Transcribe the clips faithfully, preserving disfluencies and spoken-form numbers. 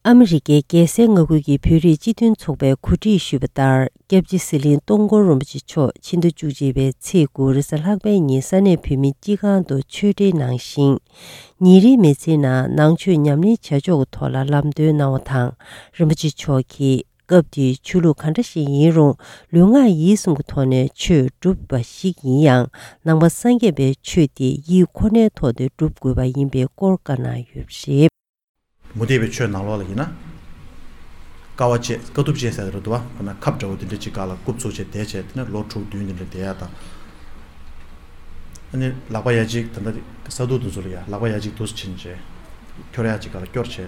ཨ་མི་རི་ཀའི་རྒྱལ་སའི་མངའ་ཁུལ་གྱི་བོད་རིགས་སྤྱི་མཐུན་ཚོགས་པས་གོ་སྒྲིག་ཞུས་པ་ལྟར། སྐྱབས་རྗེ་ཟི་ལིང་སྟོང་འཁོར་རིན་པོ་ཆེ་མཆོག་ཕྱི་ཟླ་བཅུ་གཅིག་པའི་ཚེས་དགུ་རེས་གཟའ་ལྷག་པའི་ཉིན་ས་གནས་བོད་མིའི་སྤྱི་ཁང་དུ་ཆོས་འབྲེལ་གནང་ཞིང་། ཉིན་རེའི་མི་ཚེའི་ནང་ནང་ཆོས་ཉམས་ལེན་བྱ་ཕྱོགས་ཀྱི་ཐོག་ལ་ལམ་སྟོན་གནང་བ་དང་། རིན་པོ་ཆེ་མཆོག་གིས་སྐབས་དེའི་ཆོས་ལུགས་ག་འདྲ་ཞིག་ཡིན་རུང་ལུས་ངག་ཡིད་གསུམ་གྱི་ཐོག་ནས་ཆོས་སྒྲུབ་པ་ཞིག་ཡིན་ཡང་། ནང་པ་སངས་རྒྱས་པའི་ཆོས་དེ་ཡིད་ཁོ་ནའི་ཐོག་ཏུ་སྒྲུབ་དགོས་པ་ཡིན་པའི་སྐོར་བཀའ་གནང་ཡོད་པ་རེད། མུ་སྟེགས་པའི་ཆོས་ནང་ལོགས་ལ་ཡིན་ན། དཀའ་བ་སྤྱད། དཀའ་ཐུབ་སྤྱད་ཟེར་རེད་འདུག་བ། ཁོ་ན་ཁབ་འདྲ་བོ་དེ་འདྲ་ཅིག་སྒང་ལ་རྐུབ་ཚུགས་བྱས་བསྡད་བྱས། དེ་ནས་ལོ་དྲུག་བདུན་དེ་འདྲ་བསྡད་ཡ་དང་། ཨ་ནི་ལག་པ་ཡ་གཅིག་ད་ལྟ་ས་འདུག་འདུག་ཚུལ་ལ་ཡ་ལག་པ་ཡ་གཅིག་འདུག་སེ་ཕྱིན་བྱས། ཁྱོར་ཡ་གཅིག་སྒང་ལ་སྐྱོར་བྱས།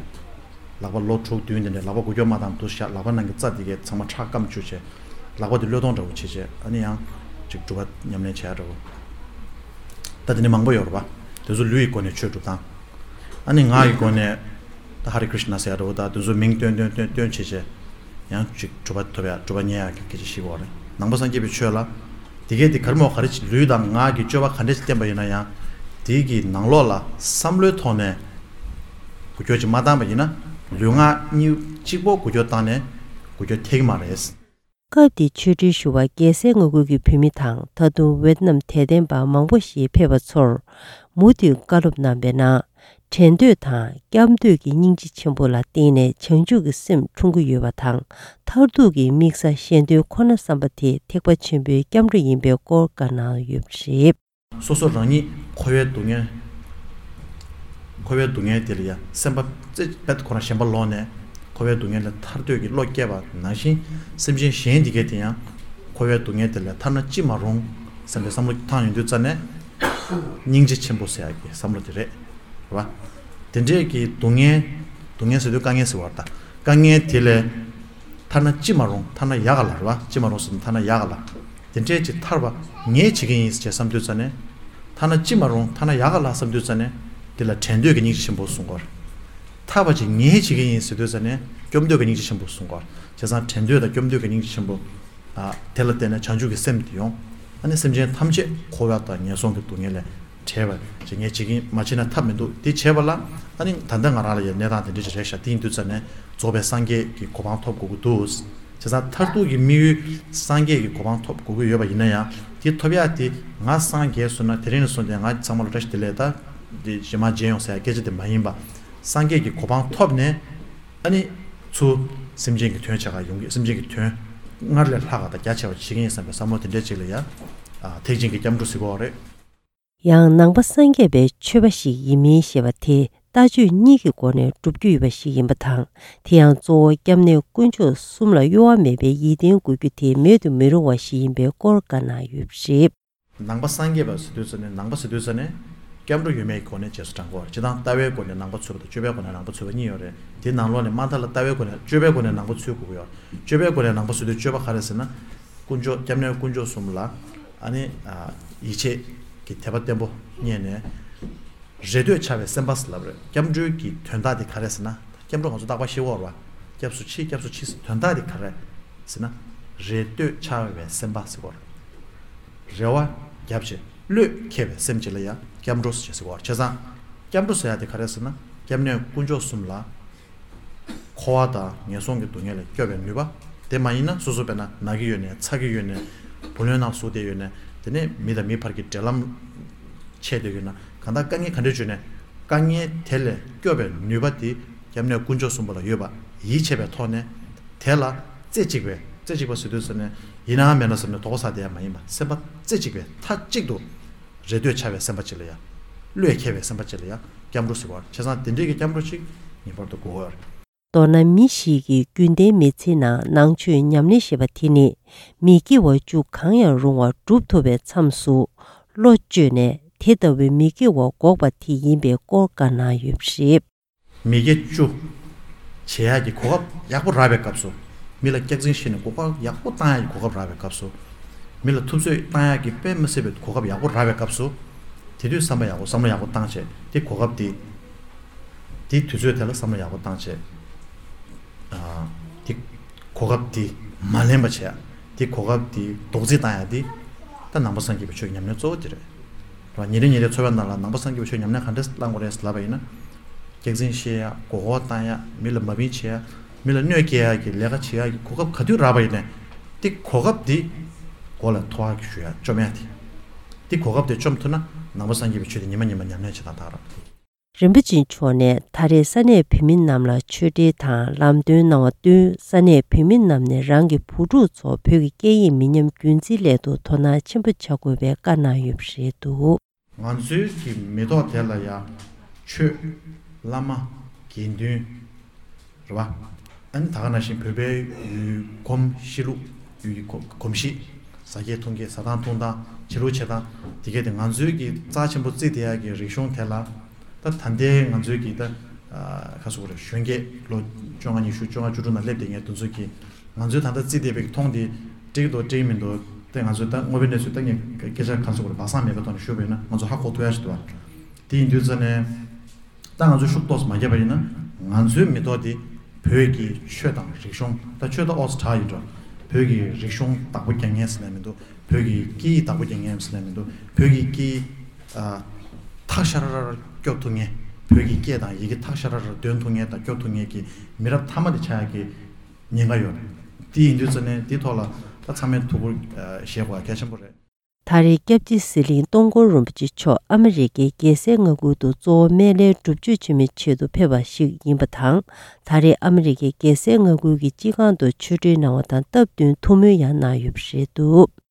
ལག་པ་ལོ་དྲུག་བདུན་དེ་འདྲ་ལག་པ་འགུལ་སྐྱོད་མ་བཏང་འདུག་སེ་བཞག་ལག་པ་ནང་གི་རྩ་དེ་གས་ཚང་མ་ཁྲག་སྐམ་བཅུག་བྱས། ལག་པ་དེ་བློས་གཏོང་འདྲ་བོ་བྱས་བྱས། ཨ་ནི་ཡང་ཅིག་སྒྲུབ་པ་ཉམས་ལེན་བྱས་འདྲ་བོ། ད་དེ་ནི་མང་པོ་ཡོད་རེད་པ། དེ་ཚོ་ལུས་ཀྱི་སྒོ་ནས་ཆོས་སྒྲུབ་སྟངས། ཨ་ནི་ངག་གི་སྒོ་ནས་ད་ཧ་རེ་ཀྲིཤ་ན་ཟེར་ཡ་འདྲ་བོ། ད་དེ་ཚོ་མིང་བཏོན་བཏོན་བཏོན་བཏོན་བྱས་བྱས། ཡང་ཅིག་གྲུབ་པ་ཐོབ་ཡ། གྲུབ་པ་བརྙེས་ཡ་གི་སྐད་ཆ་བཤད་ཀྱི་ཡོད་རེད། ནང་པ་སངས་རྒྱས་པའི་ཆོས་ལ། དེ་གས་དེ་ག་རེ་མོ་ག་རེ་ཅིག་ལུས་དང་ངག་གི་སྤྱོད་པ་ག་འདྲ་ཅིག་བསྟན་པ་ཡིན་ན་ཡང་། དེ་གི་ནང་ལོགས་ལ་བསམ་བློའི་ཐོག་ནས་འགུལ་སྐྱོད་ཅིག་མ་བཏང་པ་ཡིན་ན། ལུས་ངག་གཉིས་གཅིག་པོ་འགུལ་སྐྱོད་བཏང་ནས་འགུལ་སྐྱོད་ཐེབས་ཀྱི་མ་རེད། སྐབས་དེའི་ཆོས་འབྲེལ་ཞུ་བར་རྒྱལ་སའི་མངའ་ཁུལ་གྱི་བོད་མི་དང་། ད་དུང་ཝེ་ཏི་ནམ་དད་ལྡན་པ་མང་པོ་ཞིག་ཕེབས་པ་ཚོར་མུ་མཐུད་བཀའ་སློབ་གནང་བའི་ནང་། འགྲན་འདོད་དང་སྐྱབས་འདོད་ཀྱི་སྙིང་རྗེ་ཆེན་པོ་ལ་བརྟེན་ནས་བྱང་ཆུབ་ཀྱི་སེམས་འཁྲུངས་ཀྱི་ཡོད་པ་དང་། མཐར་ཐུག་གི་དམིགས་ས་གཞན་དོན་ཁོ་ན་བསམ་པ་དེ་ཐེག་པ་ཆེན་པོའི་སྐྱབས་འགྲོ་ཡིན་པའི་སྐོར་བཀའ་གནང་ཡོད་པ་རེད། སོ་སོ་རང་ཉིད་འཁོར་བའི་སྡུག་བསྔལ། འཁོར་བའི་སྡུག་བསྔལ་དེ་ལ་ཡང་སེམས་པ་རྩེ་རྦད་ཁོ་རང་ཞེན་པ་ལོག་ནས། འཁོར་བའི་སྡུག་བསྔལ་ལས་ཐར་འདོད་ཀྱི་བློ་སྐྱེས་པ་ནང་བཞིན། སེམས་ཅན་གཞན་འདི་གས་དེ་ཡང་འཁོར་བའི་སྡུག་བསྔལ་དེ་ལས་ཐར་ན་ཅི་མ་རུང་བསམ་པའི་བསམ་བློ་བཏང་ཡོང་དུས་ཙ་ནས། སྙིང་རྗེ་ཆེན་པོ་ཟེར་ཡག་གི་བསམ་བློ་དེ་རེད། རེད་བ། དེ་འདྲས་ཀྱི་སྡུག་བསྔལ། སྡུག་བསྔལ་ཟེར་དུས་དཀའ་ངལ་ཟེར་བ་རེད་ད། དཀའ་ངལ་དེ་ལས་ཐར་ན་ཅི་མ་རུང་། ཐར་ན་ཡག་ག་ལ། རེད་བ། ཅི་མ་རུང་ཟེར་ན་ཐར་ན་ཡག་ག་ལ། དེ་འདྲས་ཅིག་ཐར་བ་ངས་བྱེད་ཀྱི་ཡིན་ཟེར་བསམ་དུས་ཙ་ནས། ཐར་ན་ཅི་མ་རུང་། ཐར་ན་ཡག་ག་ལ་བསམ་དུས་ཙ་ནས། དེ་ལ་འགྲན་འདོད་ཀྱི་སྙིང་རྗེ་ཆེན་པོ་གསུང་གི་ཡོད་རེད། ཐར་བ་ཅིག་ངས་བྱེད་ཀྱི་ཡིན་ཟེར་དུས་ཙ་ནས་སྐྱོབ་འདོད་ཀྱི་སྙིང་རྗེ་ཆེན་པོ་གསུང་གི་ཡོད་རེད། བྱས་ཙང་འགྲན་འདོད་དང་སྐྱོབ་འདོད་ཀྱི་སྙིང་རྗེ་ཆེན་པོ། ཨ། དེ་ལ་བརྟེན་ནས་བྱང་ཆུབ་ཀྱི་སེམས་དེ་ཡོང་། ཨ་ནི་སེམས་ཅན་ཐམས་ཅད་འཁོར་བ་དང་ངན་སོང་གི་སྡུག་བསྔལ་ལས་བྲལ་བ་ཅིག་ངས་བྱེད་ཀྱི་ཡིན། མ་བྱས་ན་ཐབས་མི་འདུག། དེ་བྱས་པ་ལ་ཨ་ནི་ད་ལྟ་ང་རང་ལ་ཡང་གནས་སྟངས་དེ་འདྲ་ཞིག་རེད་ཤག། དེ་ཡིན་དུས་ཙ་ནས་རྫོགས་པའི་སངས་རྒྱས་ཀྱི་གོ་འཕང་ཐོབ་དགོས་ཀྱི་འདུག། བྱས་ཙང་མཐར་ཐུག་གི་དམིགས་ཡུལ་སངས་རྒྱས་ཀྱི་གོ་འཕང་ཐོབ་དགོས་ཀྱི་ཡོད་པ་ཡིན་ན་ཡང་། དེ་ཐོབ་ཡག་དེ་ང་སངས་རྒྱས་སོང་ན། དེ་རིང་ནས་བཟུང་སྟེ་ང་ཚང་མ་ལ་བཀྲ་ཤིས་བདེ་ལེགས་དང་རྗེས་མ་མཇལ་ཡོང་ཟེར་ཡག་སྐད་ཆ་དེ་མ་ཡིན་པ། སངས་རྒྱས་ཀྱི་གོ་འཕང་ཐོབ་ནས། ཨ་ནི་ཚུར་སེམས་ཅན་གྱི་དོན་བྱེད་ག་ཡོང་གི། སེམས་ཅན་གྱི་དོན་སྔར་ལས་ལྷག་ག་དང་རྒྱ་ཆེ་བ་བྱེད་ཀྱི་ཡིན་བསམ་པའི་བསམ་བློ་དེ་འདྲས་ཅིག་ལ་ཡང་། ཨ། ཐེག་ཆེན་གྱི་སྐྱབས་འགྲོ་ཟེར་གྱི་ཡོད་རེད། ཡང་ནང་པ་སངས་རྒྱས་པའི་ཆོས་པ་ཞིག་ཡིན་མིན་ཞེས་པ་དེ་ལྟ་སྤྱོད་གཉིས་ཀྱི་སྒོ་ནས་བསྒྲུབ་རྒྱུ་ཡོད་པ་ཞིག་ཡིན་པ་དང་། དེ་ཡང་གཙོ་བོ་སྐྱབས་གནས་དཀོན་མཆོག་གསུམ་ལ་གཡོ་བ་མེད་པའི་ཡིད་བརྟན་དགོས་རྒྱུ་དེ་མེད་དུ་མི་རུང་བ་ཞིག་ཡིན་པའི་སྐོར་བཀའ་གནང་ཡོད་པ་རེད། ནང་པ་སངས་རྒྱས་པ་ཟེར་དུས་ཙ་ནས། ནང་པ་ཟེར་དུས་ཙ་ནས་སྐྱབས་འགྲོ་ཡོད་མེད་ཀྱི་སྒོ་ནས་རྗེས་སུ་འབྲང་གི་ཡོད་རེད། སྤྱིར་བཏང་ལྟ་བའི་སྒོ་ནས་ནང་པ་འཚོལ་བ་དང་སྤྱོད་པའི་སྒོ་ནས་ནང་པ་འཚོལ་བ་གཉིས་ཡོད་རེད། དེའི་ནང་ལོགས་ནས་དམའ་མཐའ་ལ་ལྟ་བའི་སྒོ་ནས། སྤྱོད་པའི་སྒོ་ནས་ནང་པ་འཚོལ་དགོས་ཀྱི་ཡོད་རེད། སྤྱོད་པའི་སྒོ་ནས་ནང་པ་འཚོལ་དུས་སྤྱོད་པ་ག་རེ་ཟེར་ན། དཀོན་མཆོག་སྐྱབས་གནས་དཀོན་མཆོག་གསུམ་ལ། ཨ་ནི། ཨ། ཡིད་ཆེས་ཀྱི་དད་པ་བརྟན་པོ་རྙེད་ནས། རེ་ལྟོས་འཆའ་བའི་སེམས་པ་ཟེར་ལབ་རེད། སྐྱབས་འགྲོའི་གི་དོན་དག་དེ་ག་རེ་ཟེར་ན། སྐྱབས་འགྲོ་ང་ཚོ་རྟག་པར་བཤད་ཀྱི་ཡོད་རེད་བ། སྐྱབས་སུ་མཆི། སྐྱབས་སུ་མཆི་ཟེར། དོན་དག་དེ་ག་རེ་ཟེར་ན། རེ་ལྟོས་འཆའ་བའི་སེམས་པ་ཟེར་གྱི་ཡོད་རེད། རེ་བ་བརྒྱབ་བྱས་བློས་འཁེལ་བའི་སེམས་ཅིག་ལ་ཡང་སྐྱབས་འགྲོ་ཟེར་བྱས་ཟེར་གྱི་ཡོད་རེད། བྱས་ཙང་སྐྱབས་འགྲོ་ཟེར་ཡ་དེ་ག་རེ་ཟེར་ན། སྐྱབས་གནས་དཀོན་མཆོག་གསུམ་ལ། འཁོར་བ་དང་ངན་སོང་གི་སྡུག་བསྔལ་ལས་སྐྱོབ་པའི་ནུས་པ། དེ་མ་ཡིན་ན་སོ་སོ་དཔེར་ན་ན་གི་ཡོད་ནས། ཚ་གི་ཡོད་ནས། བུ་ལོན་ནང་ཟུག་བསྡད་ཡོད་ནས། དེ་ནས་མི་དང་མི་བར་གྱི་འབྲེལ་ལམ་ཆད་བསྡད་ཡོད་ན། གང་ལྟར་དཀའ་ངལ་ག་འདྲ་བྱུང་ནས་དཀའ་ངལ་དེ་ལས་སྐྱོབ་པའི་ནུས་པ་དེ་སྐྱབས་གནས་དཀོན་མཆོག་གསུམ་པོ་ལ་ཡོད་པ་ཡིད་ཆེས་པའི་ཐོག་ནས། དེ་ལ་རྩེ་གཅིག་པའི། རྩེ་གཅིག་པ་ཟེར་དུས་ཙ་ནས་ཡིན་ནའང་མིན་ན་བསམ་ནས་དོགས་པ་ཟ་བསྡད་ཡ་མ་ཡིན་པ། སེམས་པ་རྩེ་གཅིག་པའི་མཐའ་གཅིག་ཏུ་རེ་ལྟོས་འཆའ་བའི་སེམས་པ་ཅིག་ལ་ཡ། བློས་འཁེལ་བའི་སེམས་པ་ཅིག་ལ་ཡ་སྐྱབས་འགྲོ་ཟེར་བ། བྱས་ཙང་དེ་འདྲའི་གི་སྐྱབས་འགྲོ་ཅིག་ངེས་པར་དུ་དགོས་པ་རེད། མདོར་ན་མི་ཞིག་གི་རྒྱུན་ལྡན་མི་ཚེའི་ནང་ནང་ཆོས་ཉམས་ལེན་ཞེས་པ་དེ་ནི། མི་དགེ་བ་བཅུ་གང་ཡང་རུང་བ་སྒྲུབ་ཐུབ་པའི་མཚམས་སུ་བློ་བཅོས་ནས། དེ་ལྟ་བུའི་མི་དགེ་བ་འགོག་པ་དེ་ཡིན་པའི་སྐོར་བཀའ་གནང་ཡོད་པ་རེད། མི་དགེ་བཅུ་བྱེད་ཡག་གི་གོ་སྐབས་ཡག་པོ་རག་པའི་སྐབས་སུ། མི་ལ་སྐྱག་རྫུན་བཤད་ནས་གོ་སྐབས་ཡག་པོ་བཏང་ཡག་གི་གོ་སྐབས་རག་པའི་སྐབས་སུ། མི་ལ་ཐུབ་ཚོད་བཏང་ཡག་གི་དཔེ་མི་སྲིད་པའི་གོ་སྐབས་ཡག་པོ་རག་པའི་སྐབས་སུ། དེ་དུས་བསམ་པ་ཡག་པོ། བསམ་བློ་ཡག་པོ་བཏང་བྱས། དེ་གོ་སྐབས་དེ། དེ་དུས་ཚོད་དེ་ལ་བསམ་བློ་ཡག་པོ་བཏང་བྱས། ཨ། དེ་གོ་སྐབས་དེ་མ་ལེན་པ་བྱས། དེ་གོ་སྐབས་དེ་རྡོག་རྫིས་བཏང་ཡག་དེ། ད་ནང་པ་སངས་རྒྱས་པའི་ཆོས་ཉམས་ལེན་གཙོ་བོ་དེ་རེད། རེད་བ། ཉིན་རེ་ཉིན་རེའི་འཚོ་བའི་ནང་ལ་ནང་པ་སངས་རྒྱས་པའི་ཆོས་ཉམས་ལེན་ག་འདྲས་བླང་དགོས་རེད་ལབ་པ་ཡིན་ན། སྐྱག་རྫུན་བཤད་ཡ། མགོ་སྐོར་བཏང་ཡ། མི་ལ་མ་བིན་བྱེད་ཡ། མི་ལ་གནོད་སྐྱེལ་ཡ་གི་ལས་ཀ་བྱེད་ཡ་གི་གོ་སྐབས་ག་དུས་རག་པ་ཡིན་ནའི། དེ་གོ་སྐབས་དེ་མགོ་ལ་ཐོགས་ཡ་གི་ཞུ་ཡ་བཅོམ་ཡ་དེ། དེ་གོ་སྐབས་དེ་བཅོམ་ཐུབ་ན་ནང་པ་སངས་རྒྱས་པའི་ཆོས་དེ་ཉི་མ་ཉི་མ་ཉམས་ལེན་བྱེད་སྟངས་དག་རག་པ་དེ། རིན་པོ་ཆེ་མཆོག་ནས་ད་རེས་ས་གནས་བོད་མི་རྣམས་ལ་ཆོས་འབྲེལ་དང་ལམ་སྟོན་གནང་བ་བསྟུན། ས་གནས་བོད་མི་རྣམས་ནས་རང་གི་བུ་ཕྲུག་ཚོ་བོད་ཀྱི་སྐད་ཡིག་མི་ཉམས་རྒྱུན་འཛིན་སླད་དུ་དོ་སྣང་ཆེན་པོ་བྱ་དགོས་པའི་བཀའ་གནང་ཡོད་པ་རེད་འདུག། ང་ཚོའི་གི་མེ་ཏོག་དེ་ལ་ཡ་ཆོས། བླ་མ། དགེ་འདུན། རེད་བ། ཨ་ནི་ད་ག་ནང་བཞིན་བོད་པའི་ཡུལ་གོམས་གཤིས་ལུགས། ཡུལ་གྱི་གོ་གོམས་གཤིས། ཟ་སྐྱེལ་འཐུང་སྐྱེལ། ཟ་སྟངས་འཐུང་སྟངས། བྱེད་ལུགས་བྱེད་སྟངས། དེ་གས་དེ་ང་ཚོའི་གི་རྩ་ཆེན་པོ་བརྩི་བསྡད་ཡ་གི་རིག་གཞུང་དེ་ལ། ད་ད་ལྟའི་ང་ཚོའི་གི་ད་ཁ་སོ་རེ་གཞོན་སྐྱེས་ལོ་བཅོ་ལྔ་ཉི་ཤུ་བཅོ་ལྔ་བཅུ་དྲུག་ནང་སླེབས་བསྡད་མཁན་དེ་ཚོ་གི། ང་ཚོས་ད་ལྟ་བརྩིས་བསྡད་པའི་མཐོང་དེ་འགྲིག་འདུག་འགྲིག་མི་འདུག་དེ་ང་ཚོས་ད་དངོས་པོའི་གནས་ཚུལ་ད་ངས་སྐད་ཆ་གང་ཟེར་དགོས་རེད། སྦ་གསང་མེད་པའི་ཐོག་ནས་ཞུས་པ་ཡིན་ན་ང་ཚོ་ཧ་གོ་ཐུབ་ཡ་ཞིག་འདུག་བ། དེ་ཡིན་དུས་ཙ་ནས་ད་ང་ཚོས་ཤུགས་ཏོག་ཙམ་མ་བརྒྱབ་པ་ཡིན་ན། ང་ཚོའི་མེ་ཏོག་དེ་བོད་ཀྱི་ཆོས་དང་རིག་གཞུང་། ད་ཆོས་ད་ཨོ་ཙི་དྲག་ཡིན་འགྲོ། བོད་ཀྱི་རིག་གཞུང་བདག་པོ་རྒྱག་མཁན་ཟེར་ན་མི་འདུག་བོད་ཀྱི་སྐད་ཡིག་བདག་པོ་རྒྱག་མཁན་ཟེར་ན་མི་འདུག་བོད་ཀྱི་སྐད་ཡིག་ཨ། ཐག་ཤ་ར་ར་སྐྱོབ་ཐུབ་མཁན། བོད་ཀྱི་སྐད་དང་ཡི་གེ་ཐག་ཤ་ར་ར་འདོན་ཐུབ་མཁན་དང་སྐྱོབ་ཐུབ་མཁན་གྱི་མི་རབས་མཐའ་མ་དེ་ཆགས་ཡ་གི་ཉེན་ཁ་ཡོད་རེད། དེ་ཡིན་དུས་ཙ་ནས་དེའི་ཐོག་ལ་ད་ཚང་མས་ཐུགས་ཁུར་བཞེས་དགོས་གལ་ཆེན་པོ་རེད། ད་རེས་སྐྱབས་རྗེ་ཟི་ལིང་སྟོང་འཁོར་རིན་པོ་ཆེ་མཆོག་ཨ་མི་རི་ཀའི་རྒྱལ་སའི་མངའ་ཁུལ་དུ་གཙོ་བོ་སྨན་བླའི་སྒྲུབ་མཆོད་བྱེད་མིའི་ཆེད་དུ་ཕེབས་པ་ཞིག་ཡིན་པ་དང་། ད་རེས་ཨ་མི་རི་ཀའི་རྒྱལ་སའི་མངའ་ཁུལ་གྱི་སྤྱི་ཁང་དུ་ཆོས་འབྲེལ་གནང་བ་དང་སྟབས་བསྟུན་ཐུགས་སྨོན་ཡང་གནང་ཡོད་པ་རེད་འདུག།